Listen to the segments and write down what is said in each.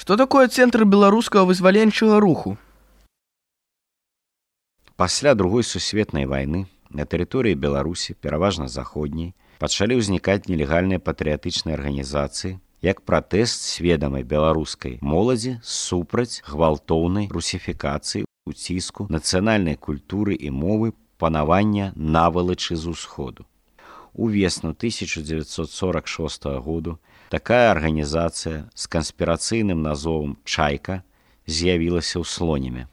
Што такое цэнтр беларускага вызваленчага руху? Пасля Другой сусветнай вайны на тэрыторыі Беларусі, пераважна заходняй, пачалі ўзнікаць нелегальныя патрыятычныя арганізацыі як пратэст сведамай беларускай моладзі супраць гвалтоўнай русіфікацыі, уціску нацыянальнай культуры і мовы, панавання навалачы з усходу. У весну 1946 году такая арганізацыя з канспірацыйным назовам «Чайка» з'явілася ў Слонеме.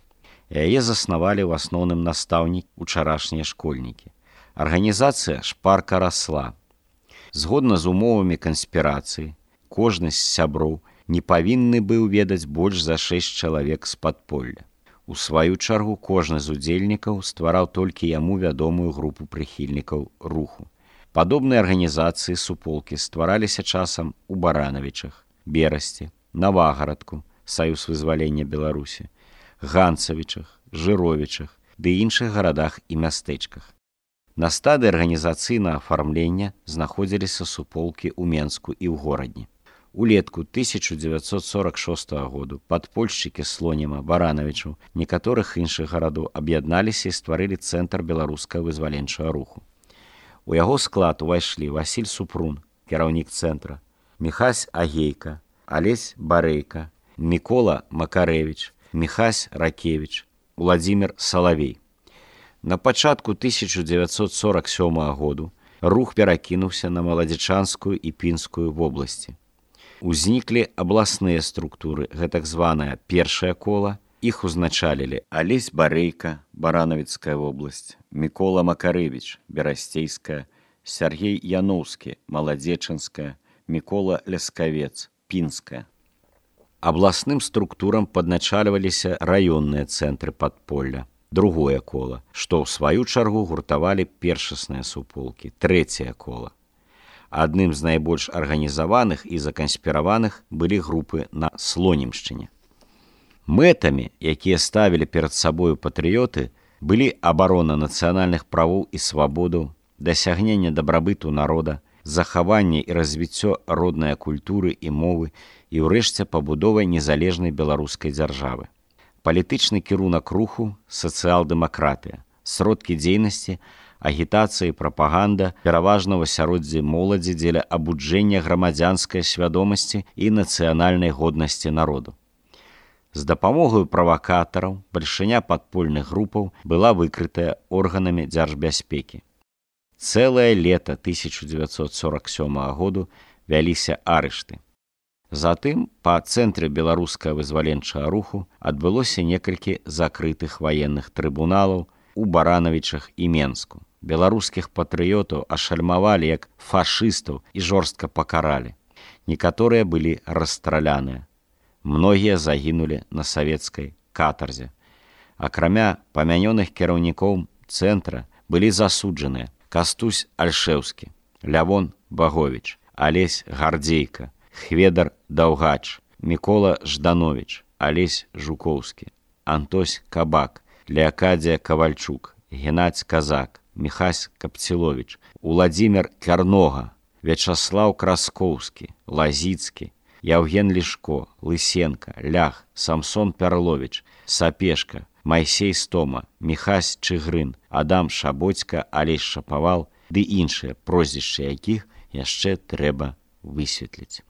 Яе заснавалі ў асноўным настаўнік учарашнія школьнікі. Арганізацыя шпарка расла. Згодна з умовамі канспірацыі, кожны з сяброў не павінны быў ведаць больш за 6 чалавек з падполля. У сваю чаргу кожны з удзельнікаў ствараў толькі яму вядомую групу прыхільнікаў руху. Падобныя арганізацыі суполкі ствараліся часам у Баранавічах, Берасці, Навагарадку, Саюз вызвалення Беларусі, Ганцавічах, Жыровічах ды іншых гарадах і мястэчках. На стадыі арганізацыйнага афармлення знаходзіліся суполкі ў Менску і ў горадні. Улетку 1946 году падпольшчыкі Слонема, Баранавічаў, некаторых іншых гарадоў аб'ядналіся і стварылі цэнтр беларускага вызваленчага руху. У яго склад увайшлі Васіль Супрун, кіраўнік цэнтра, Міхась Агейка, Алесь Барэйка, Мікола Макарэвіч, Міхась Ракевіч, Уладзімір Салавей. На пачатку 1947 году рух перакінуўся на Маладзічанскую і Пінскую вобласці. Узніклі абласныя структуры, гэтак званае першае кола. Іх узначалілі Алесь Барэйка, Баранавіцкая вобласць, Мікола Макарэвіч, Берасцейская, Сяргей Яноўскі, Маладзечанская, Мікола Ляскавец, Пінская. Абласным структурам падначальваліся раённыя цэнтры падполля, другое кола, што ў сваю чаргу гуртавалі першасныя суполкі, трэцяе кола. Адным з найбольш арганізаваных і заканспіраваных былі групы на Слонімшчыне. Мэтамі, якія ставілі перад сабою патрыёты, былі абарона нацыянальных правоў і свабодаў, дасягненне дабрабыту народа, захаванне і развіццё роднай культуры і мовы і, ўрэшце, пабудова незалежнай беларускай дзяржавы. Палітычны кірунак руху – сацыял-дэмакратыя, сродкі дзейнасці, агітацыя і прапаганда пераважна ў асяроддзі моладзі дзеля абуджэння грамадзянскай свядомасці і нацыянальнай годнасці народу. З дапамогаю правакатараў бальшыня падпольных групаў была выкрытая органамі дзяржбяспекі. Цэлае лета 1947 году вяліся арышты. Затым па цэнтры беларускага вызваленчага руху адбылося некалькі закрытых ваенных трыбуналаў у Баранавічах і Менску. Беларускіх патрыётаў ашальмавалі як фашыстаў і жорстка пакаралі. Некаторыя былі расстраляныя. Многія загінулі на савецкай катарзе. Акрамя памянёных кіраўнікоў цэнтра былі засуджаныя Кастусь Альшэўскі, Лявон Баговіч, Алесь Гардзейка, Хведар Даўгач, Мікола Ждановіч, Алесь Жукоўскі, Антось Кабак, Леакадзія Кавальчук, Геннадзь Казак, Міхась Капціловіч, Уладзімір Кярнога, Вячаслаў Краскоўскі, Лазіцкі, Яўген Лішко, Лысенка, Лях, Самсон Пярловіч, Сапешка, Майсей Стома, Міхась Чыгрын, Адам Шабоцька, Алесь Шапавал ды іншыя, прозвішчы якіх яшчэ трэба высветліць.